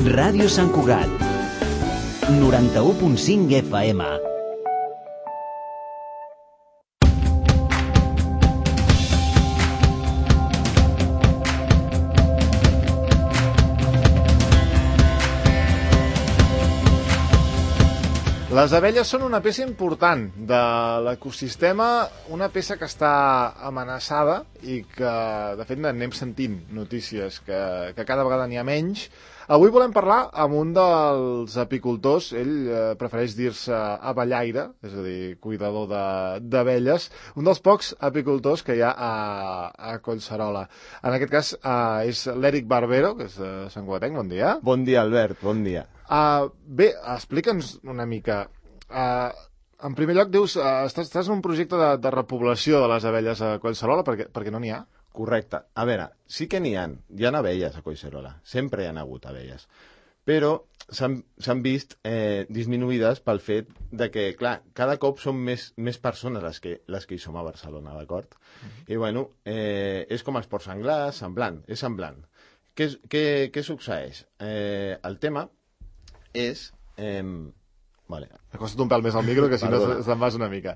Ràdio Sant Cugat, 91.5 FM. Les abelles són una peça important de l'ecosistema, una peça que està amenaçada i que, de fet, anem sentint notícies que cada vegada n'hi ha menys. Avui volem parlar amb un dels apicultors, ell prefereix dir-se abellaire, és a dir, cuidador d'abelles, un dels pocs apicultors que hi ha a Collserola. En aquest cas és l'Eric Barbero, que és de Sant Cugatenc. Bon dia. Bon dia, Albert, bon dia. Bé, explica'ns una mica. En primer lloc, dius, estàs en un projecte de repoblació de les abelles a Collserola perquè no n'hi ha? Correcte. A veure, sí que n'hi ha abelles a Collserola, sempre hi ha hagut abelles, però s'han vist disminuïdes pel fet de que, clar, cada cop són més persones les que hi som a Barcelona, d'acord? I, bueno, és com els porcs senglars, és semblant. Què succeeix? El tema és... Vale. M'acosta't un pèl més al micro, que si no se'n vas una mica.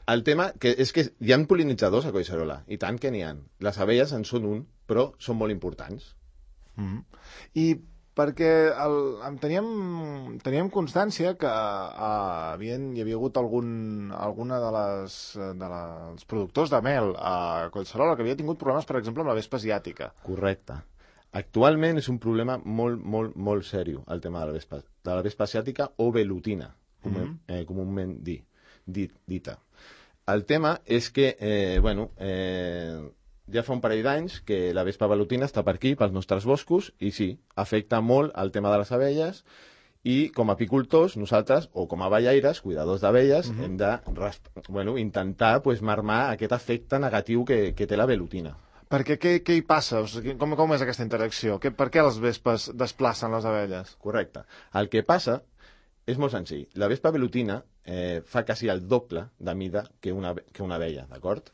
El tema és que hi ha polinitzadors a Collserola, i tant que n'hi ha. Les abelles en són un, però són molt importants. I perquè teníem constància que hi havia hagut alguna dels productors de mel a Collserola que havia tingut problemes, per exemple, amb la vespa asiàtica. Correcte. Actualment és un problema molt, molt, molt seriós, el tema de la vespa asiàtica o velutina, comúment dita. El tema és que, ja fa un parell d'anys que la vespa velutina està per aquí, pels nostres boscos, i sí, afecta molt el tema de les abelles, i com a apicultors, nosaltres, o com a abellaires, cuidadors d'abelles, hem de intentar marmar aquest efecte negatiu que té la velutina. Perquè què hi passa? O sigui, com és aquesta interacció? Per què les vespes desplacen les abelles? Correcte. El que passa és molt senzill. La vespa velutina fa quasi el doble de mida que una abella, d'acord?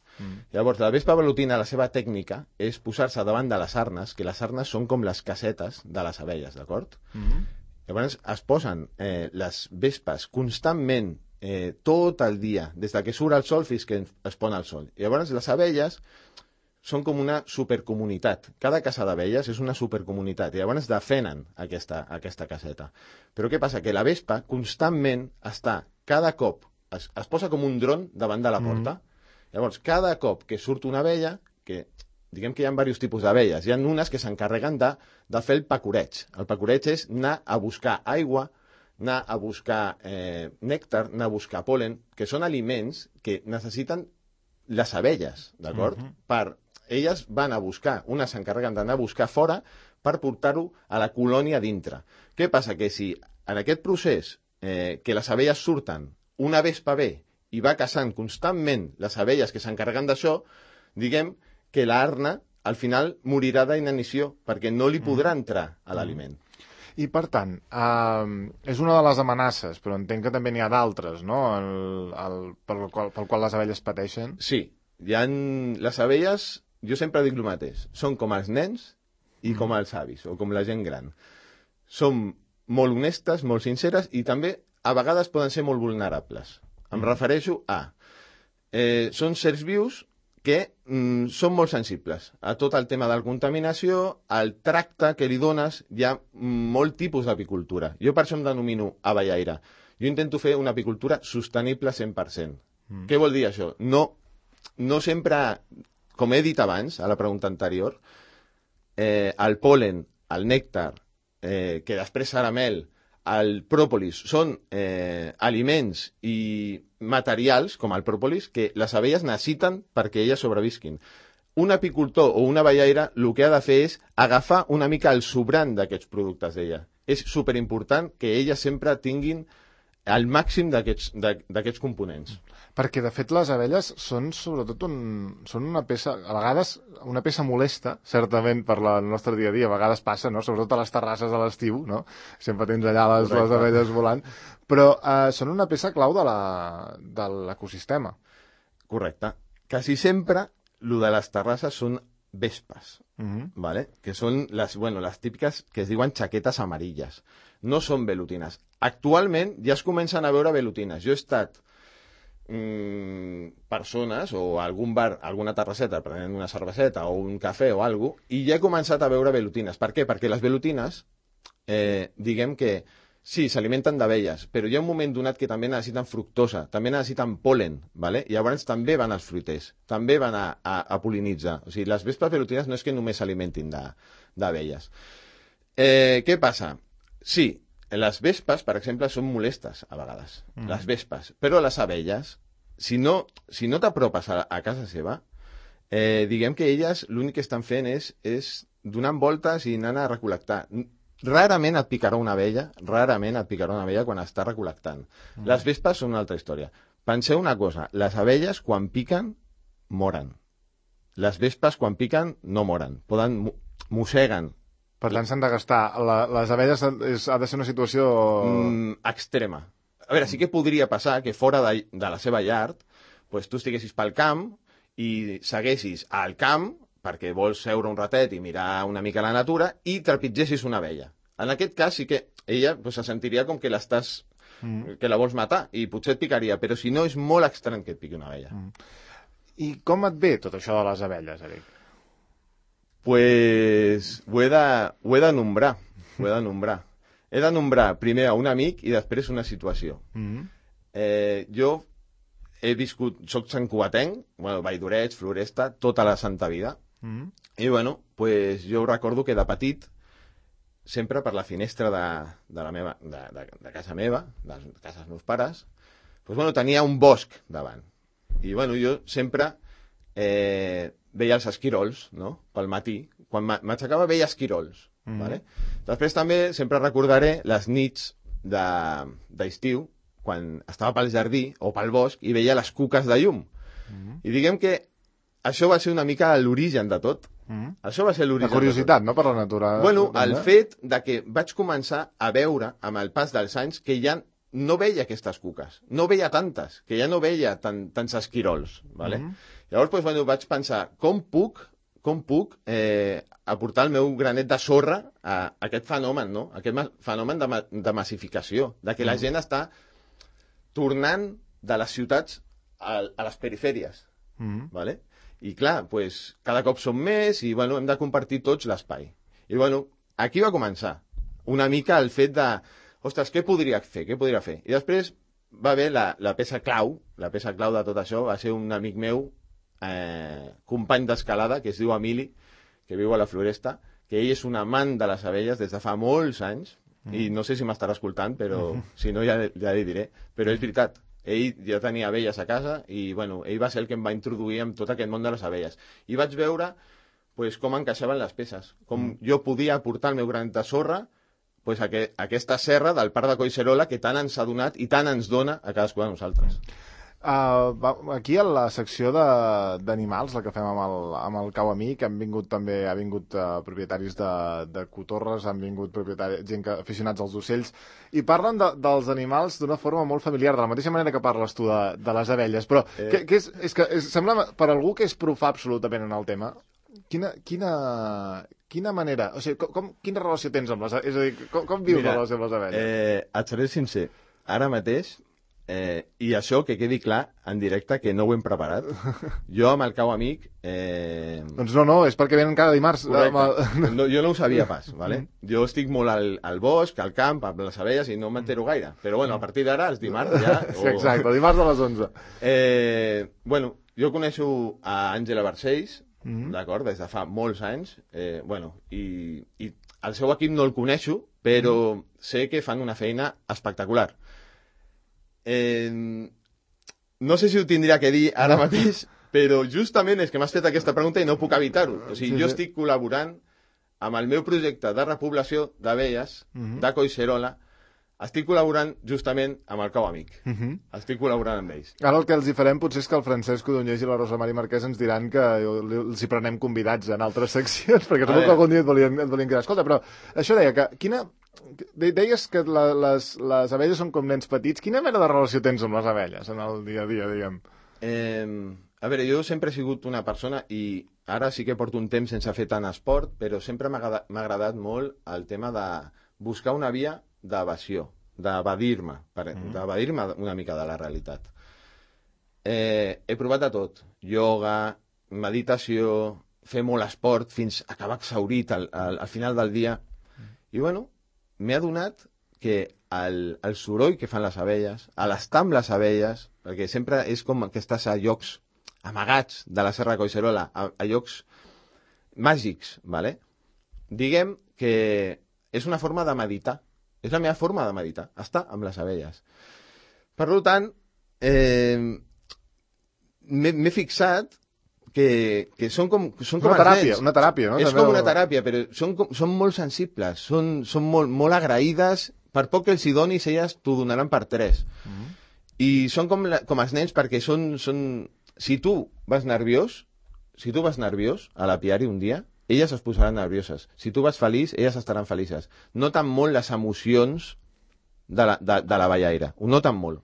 Llavors, la vespa velutina, la seva tècnica és posar-se davant de les arnes, que les arnes són com les casetes de les abelles, d'acord? Llavors, es posen les vespes constantment tot el dia, des que surt el sol fins que es pon el sol. Llavors, les abelles són com una supercomunitat. Cada casa d'abelles és una supercomunitat i llavors defenen aquesta caseta. Però què passa? Que la vespa constantment està, cada cop, es posa com un dron davant de la porta. Llavors, cada cop que surt una abella, que diguem que hi ha diversos tipus d'abelles, hi ha unes que s'encarreguen de fer el pacoreig. El pacoreig és anar a buscar aigua, anar a buscar nèctar, anar a buscar pol·len, que són aliments que necessiten les abelles, d'acord? Elles van a buscar, unes s'encarreguen d'anar a buscar fora per portar-ho a la colònia dintre. Què passa? Que si en aquest procés que les abelles surten, una vespa ve i va caçant constantment les abelles que s'encarreguen d'això, diguem que l'arna al final morirà d'inanició perquè no li podrà entrar a l'aliment. I, per tant, és una de les amenaces, però entenc que també n'hi ha d'altres, no?, pel qual les abelles pateixen. Sí, les abelles, jo sempre dic el mateix, són com els nens i com els avis, o com la gent gran. Són molt honestes, molt sinceres, i també a vegades poden ser molt vulnerables. Em refereixo a... són certs vius que són molt sensibles a tot el tema de la contaminació, al tracte que li dones. Hi ha molt tipus d'apicultura. Jo per això em denomino abellaire. Jo intento fer una apicultura sostenible 100%. Què vol dir això? No sempre, com he dit abans, a la pregunta anterior, el pol·len, el nèctar, que després serà mel, el pròpolis, són aliments i materials, com el pròpolis, que les abelles necessiten perquè elles sobrevisquin. Un apicultor o una abellaire el que ha de fer és agafar una mica el sobrant d'aquests productes d'ella. És superimportant que elles sempre tinguin el màxim d'aquests components. Perquè, de fet, les abelles són sobretot són una peça, a vegades una peça molesta, certament, per el nostre dia a dia. A vegades passa, no?, sobretot a les terrasses a l'estiu, no? Sempre tens allà les abelles volant. Però són una peça clau de l'ecosistema. Correcte. Quasi sempre, el de les terrasses són vespes. ¿vale? Que són les típiques que es diuen xaquetes amarilles. No són velutines. Actualment ja es comencen a veure velutines. Jo he estat persones o a algun bar, alguna terrasseta prenent una cerveseta o un cafè o alguna cosa, i ja he començat a veure velutines. Per què? Perquè les velutines, diguem que sí, s'alimenten d'abelles, però hi ha un moment donat que també necessiten fructosa, també necessiten pol·len, ¿vale? I llavors també van als fruiters, també van a pol·linitzar. O sigui, les vespes velutines no és que només s'alimentin d'abelles. Què passa? Sí, les vespes, per exemple, són molestes a vegades, les vespes, però les abelles, si no t'apropes a casa seva, diguem que elles l'únic que estan fent és donant voltes i anant a recol·lectar. Rarament et picarà una abella quan està recol·lectant. Les vespes són una altra història. Penseu una cosa, les abelles quan piquen, moren. Les vespes quan piquen no moren, mosseguen. Per tant, s'han de gastar. Les abelles ha de ser una situació... extrema. A veure, sí que podria passar que fora de la seva llar, pues, tu estiguessis pel camp i seguessis al camp perquè vols seure un ratet i mirar una mica la natura i trepitgessis una abella. En aquest cas sí que ella pues, se sentiria com que que la vols matar i potser et picaria, però si no és molt estrany que et piqui una abella. I com et ve tot això de les abelles, Eric? Pues ho he de nombrar. He de nombrar primer a un amic i després una situació. Jo he viscut, soc santcugatenc, Valldoreig, Floresta, tota la santa vida. I pues jo recordo que de petit, sempre per la finestra de casa meva, de casa dels meus pares, pues tenia un bosc davant. I jo sempre veia els esquirols, no?, pel matí. Quan m'aixecava veia esquirols. Vale? Després també sempre recordaré les nits d'estiu, quan estava pel jardí o pel bosc i veia les cuques de llum. I diguem que això va ser una mica l'origen de tot. Això va ser l'origen. La curiositat, no?, per la natura. El fet de que vaig començar a veure, amb el pas dels anys, que ja no veia aquestes cuques, no veia tantes, que ja no veia tants esquirols. Vale? Llavors vaig pensar, com puc aportar el meu granet de sorra a aquest fenomen, no? Aquest fenomen de massificació, de que la gent està tornant de les ciutats a les perifèries. Vale? I clar, cada cop som més i hem de compartir tots l'espai. I aquí va començar una mica el fet de, ostres, què podria fer? I després va haver la peça clau de tot això, va ser un amic meu, company d'escalada, que es diu Emili, que viu a la Floresta, que ell és un amant de les abelles des de fa molts anys, i no sé si m'estarà escoltant, però si no ja li diré, però és veritat. Ell ja tenia abelles a casa i ell va ser el que em va introduir en tot aquest món de les abelles. I vaig veure com encaixaven les peces, com jo podia aportar el meu granet de sorra a aquesta serra del Parc de Collserola que tant ens ha donat i tant ens dona a cadascú de nosaltres. Aquí a la secció d'animals, la que fem amb el Cau Amic, ha vingut propietaris de cotorres, han vingut gent aficionats als ocells, i parlen dels animals d'una forma molt familiar, de la mateixa manera que parles tu de les abelles, però és que sembla, per algú que és profà absolutament en el tema, quina manera, o sigui, quina relació tens amb les abelles? És a dir, com vius la relació amb les abelles? Et seré sincer, ara mateix, i això que quedi clar en directe que no ho hem preparat, jo amb el Cau Amic doncs no, és perquè venen cada dimarts. No, jo no ho sabia pas, vale? Jo estic molt al bosc, al camp, amb les abelles i no m'entero gaire, però a partir d'ara els dimarts ja sí, exacte, dimarts a les 11. Jo coneixo a Àngela Barcells, d'acord, des de fa molts anys, i el seu equip no el coneixo, però sé que fan una feina espectacular. No sé si ho tindria que dir ara mateix, però justament és que m'has fet aquesta pregunta i no puc evitar-ho. O sigui, jo estic col·laborant amb el meu projecte de repoblació d'abelles de Collserola, estic col·laborant justament amb el Cau Amic. Estic col·laborant amb ells. Ara el que els hi farem potser és que el Francesc Codonyés i la Rosa Mari Marquès ens diran que els hi prenem convidats en altres seccions, perquè segur que algun dia et volien quedar. Escolta, però això deia que deies que les abelles són com nens petits. Quina mena de relació tens amb les abelles en el dia a dia, diguem? A veure, jo sempre he sigut una persona, i ara sí que porto un temps sense fer tant esport, però sempre m'ha agradat molt el tema de buscar una via d'evasió, d'evadir-me una mica de la realitat. He provat de tot, ioga, meditació, fer molt esport fins a acabar exhaurit al final del dia. I bueno, m'he adonat que el soroll que fan les abelles, a l'estar amb les abelles, perquè sempre és com que estàs a llocs amagats de la Serra de Collserola, a llocs màgics, ¿vale? Diguem que és una forma de meditar. És la meva forma de meditar, estar amb les abelles. Per tant, m'he fixat que són com una teràpia, una teràpia, no? És com una teràpia, però són molt sensibles, són molt agraïdes. Per poc que els hi donis, elles t'ho donaran per 3. I són com els nens, perquè són... Si tu vas nerviós a l'apiari un dia, elles es posaran nervioses. Si tu vas feliç, elles estaran felices. Noten molt les emocions de la ballaire. Ho noten molt.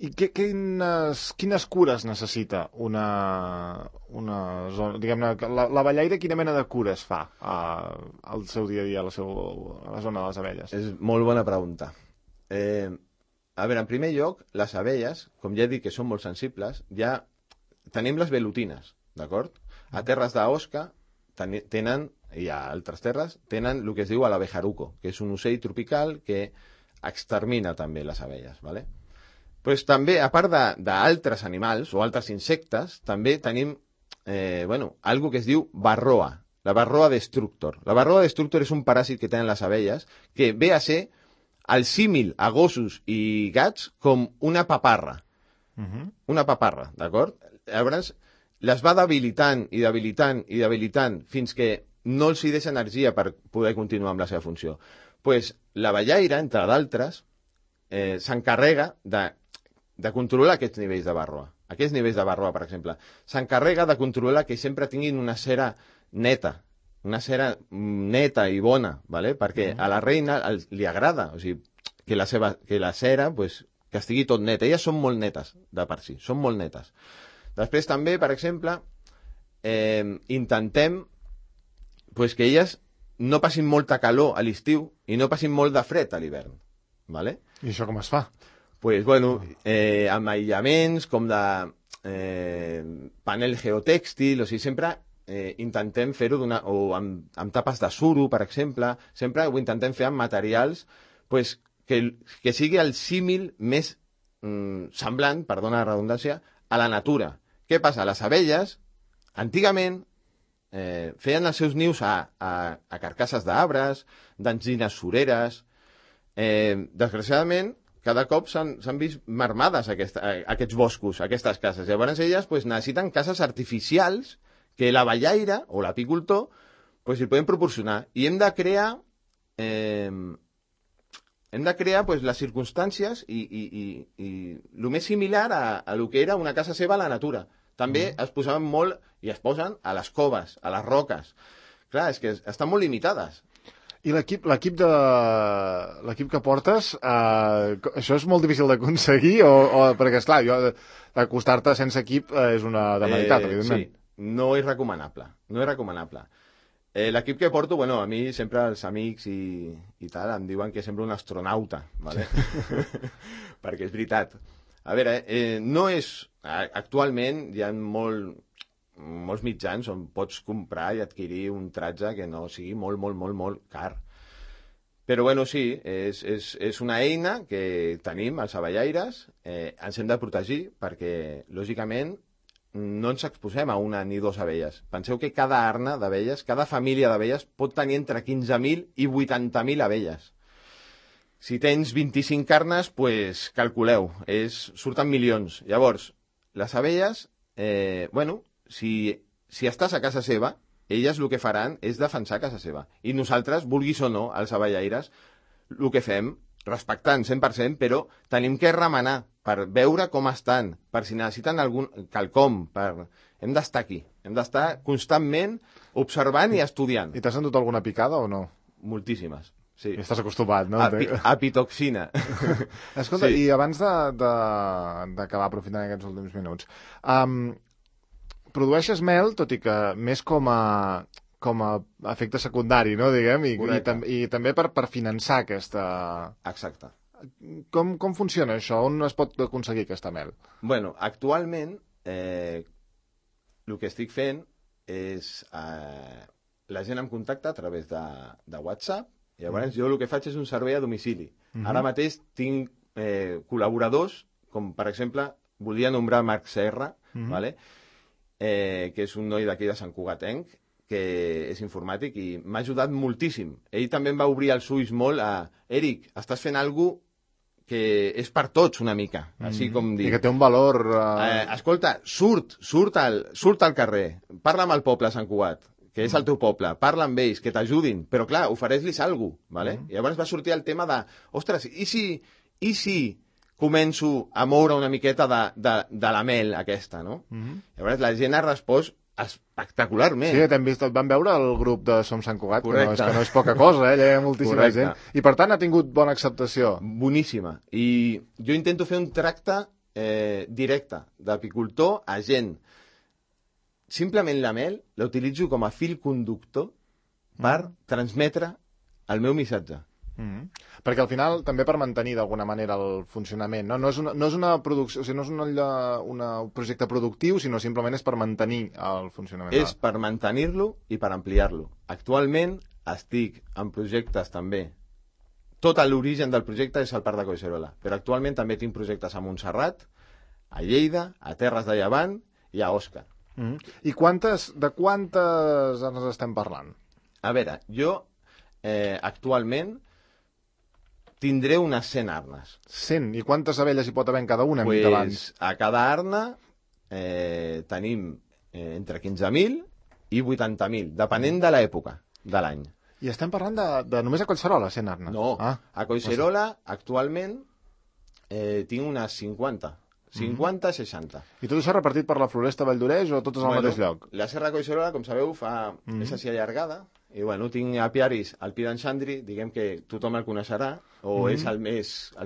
I quines cures necessita una zona? Diguem-ne, la ballaire quina mena de cures fa al seu dia a dia, a la zona de les abelles? És molt bona pregunta. A veure, en primer lloc, les abelles, com ja he dit que són molt sensibles, ja tenim les velutines, d'acord? A terres d'Osca tenen, i a altres terres, tenen el que es diu l'abejaruco, que és un ocell tropical que extermina també les abelles, ¿vale? Pues també, a part d'altres animals o altres insectes, també tenim algo que es diu varroa, la varroa destructor. La varroa destructor és un paràsit que tenen les abelles que ve a ser el símil a gossos i gats com una paparra. Una paparra, d'acord? Llavors, les va debilitant fins que no els hi deixa energia per poder continuar amb la seva funció. Pues la ballaire, entre d'altres, s'encarrega de controlar aquests nivells de varroa. Aquests nivells de varroa, per exemple. S'encarrega de controlar que sempre tinguin una cera neta i bona, ¿vale? Perquè a la reina li agrada, o sigui, que la cera, pues, que estigui tot net. Elles són molt netes de per si, són molt netes. Després també, per exemple, intentem pues, que elles no passin molta calor a l'estiu i no passin molt de fred a l'hivern, ¿vale? I això com es fa? Pues, bueno, amb aïllaments com de panel geotèxtil, o sigui, sempre intentem fer-ho amb tapes de suro, per exemple, sempre ho intentem fer amb materials pues, que sigui el símil més semblant, perdona la redundància, a la natura. Què passa? Les abelles, antigament, feien els seus nius a carcasses d'arbres, d'enzines sureres. Desgraciadament, cada cop s'han vist marmades aquests boscos, aquestes cases. Llavors elles pues, necessiten cases artificials que la ballaire o l'apicultor pues, hi poden proporcionar. I hem de crear pues, les circumstàncies i el més similar a lo que era una casa seva a la natura. També es posaven molt, i es posen, a les coves, a les roques. Clar, és que estan molt limitades. I l'equip que portes, això és molt difícil d'aconseguir? Perquè, esclar, acostar-te sense equip és una demeritat, evidentment. Sí, no és recomanable. L'equip que porto, bueno, a mi sempre els amics i tal em diuen que sembla un astronauta, ¿vale? Perquè és veritat. A veure, no és... Actualment hi ha molts mitjans on pots comprar i adquirir un tratge que no sigui molt car. Però, bueno, sí, és una eina que tenim, els abellaires, ens hem de protegir perquè, lògicament, no ens exposem a una ni dues abelles. Penseu que cada arna d'abelles, cada família d'abelles pot tenir entre 15.000 i 80.000 abelles. Si tens 25 arnes, pues, calculeu, surten milions. Llavors, les abelles, si estàs a casa seva, elles el que faran és defensar casa seva. I nosaltres, vulguis o no, els abellaires, el que fem, respectant 100%, però tenim que remenar per veure com estan, per si necessiten quelcom, hem d'estar aquí, hem d'estar constantment observant i estudiant. I t'has endut alguna picada o no? Moltíssimes. Sí. I estàs acostumat, no? Apitoxina. Escolta, sí. I abans d'acabar aprofitant aquests últims minuts, produeixes mel, tot i que més com a efecte secundari, no, diguem, i també per finançar aquesta... Exacte. Com funciona això? On es pot aconseguir aquesta mel? Bueno, actualment el que estic fent és la gent em contacta a través de WhatsApp i llavors jo el que faig és un servei a domicili. Ara mateix tinc col·laboradors, com per exemple volia nombrar Marc Serra, vale? Que és un noi d'aquí de Sant Cugatenc, que és informàtic i m'ha ajudat moltíssim. Ell també em va obrir els ulls molt a Eric, estàs fent alguna cosa que és per tots una mica, així com dir... I que té un valor... Escolta, surt al carrer, parla amb el poble de Sant Cugat, que és el teu poble, parla amb ells, que t'ajudin, però clar, ofereix-los alguna cosa, ¿vale? I llavors va sortir el tema de, ostres, i si començo a moure una miqueta de la mel aquesta, no? Llavors la gent ha respost espectacularment. Sí, t'hem vist, et van veure el grup de Som Sant Cugat, Correcte. que no és poca cosa, hi ha moltíssima Correcte. gent. I per tant ha tingut bona acceptació. Boníssima. I jo intento fer un tracte directe d'apicultor a gent. Simplement la mel la utilitzo com a fil conductor per transmetre el meu missatge. Perquè al final també per mantenir d'alguna manera el funcionament, no? No és una producció, o sigui, no és un projecte productiu, sinó simplement és per mantenir el funcionament. És per mantenir-lo i per ampliar-lo. Actualment estic en projectes també. Tot l'origen del projecte és el Parc de Collserola, però actualment també tinc projectes a Montserrat, a Lleida, a Terres de Llevant i a Òscar. I de quantes arnes estem parlant? A veure, jo actualment tindré unes 100 arnes. 100? I quantes abelles hi pot haver en cada una? Hem dit abans. A cada arna tenim entre 15.000 i 80.000, depenent de l'època de l'any. I estem parlant de només a Collserola, 100 arnes? No, a Collserola actualment tinc unes 50, 60. I tot això repartit per la Floresta Valldoreix o totes al mateix lloc? La Serra de Collserola, com sabeu, és així allargada. I bueno, tinc apiaris al Pi d'en Xandri, diguem que tothom el coneixerà, o és el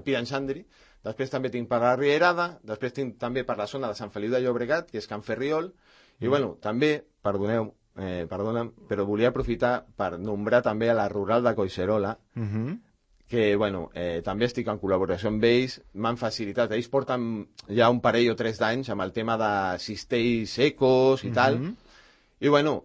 Pi d'en Xandri. Després també tinc per la Rierada, després tinc també per la zona de Sant Feliu de Llobregat, que és Can Ferriol, i bueno, també, perdona'm, però volia aprofitar per nombrar també a la Rural de Collserola, que bueno, també estic en col·laboració amb ells, m'han facilitat, ells porten ja un parell o 3 d'anys amb el tema de cistells secos i tal, i bueno,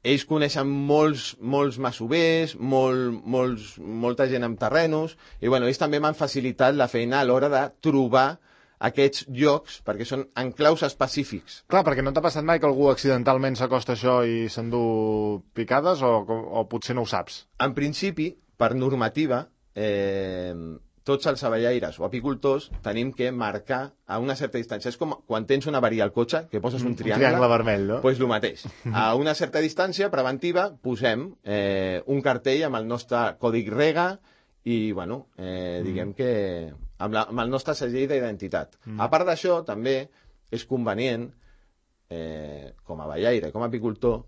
ells coneixen molts masovers, molta gent amb terrenos, i bueno, ells també m'han facilitat la feina a l'hora de trobar aquests llocs, perquè són enclaus específics. Clar, perquè no t'ha passat mai que algú accidentalment s'acosta a això i s'endú picades, o potser no ho saps? En principi, per normativa, tots els abellaires o apicultors tenim que marcar a una certa distància. És com quan tens una avaria al cotxe, que poses un triangle. Un triangle vermell, no? Doncs el mateix. A una certa distància preventiva posem un cartell amb el nostre còdic REGA i, bueno, diguem que amb el nostre segell d'identitat. A part d'això, també és convenient, com a abellaire, com a apicultor,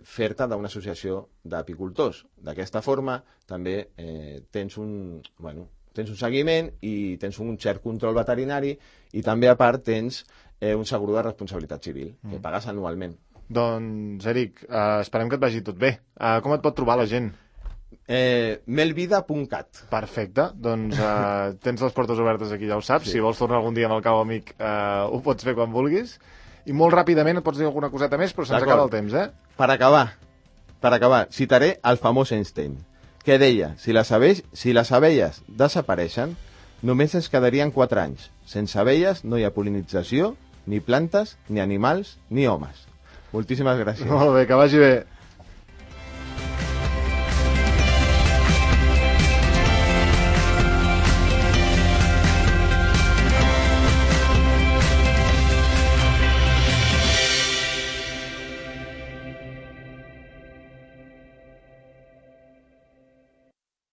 fer-te d'una associació d'apicultors. D'aquesta forma també tens un seguiment i tens un cert control veterinari i també a part tens un segur de responsabilitat civil que pagues anualment. Doncs, Eric, esperem que et vagi tot bé. Com et pot trobar la gent? melvida.cat. Perfecte, doncs tens les portes obertes aquí, ja ho saps. Si vols tornar algun dia amb el cau amic ho pots fer quan vulguis. I molt ràpidament et pots dir alguna coseta més, però se'ns acaba el temps, Per acabar, citaré el famós Einstein, que deia, si les abelles desapareixen, només ens quedarien 4 anys. Sense abelles no hi ha pol·linització, ni plantes, ni animals, ni homes. Moltíssimes gràcies. Molt bé, que vagi bé.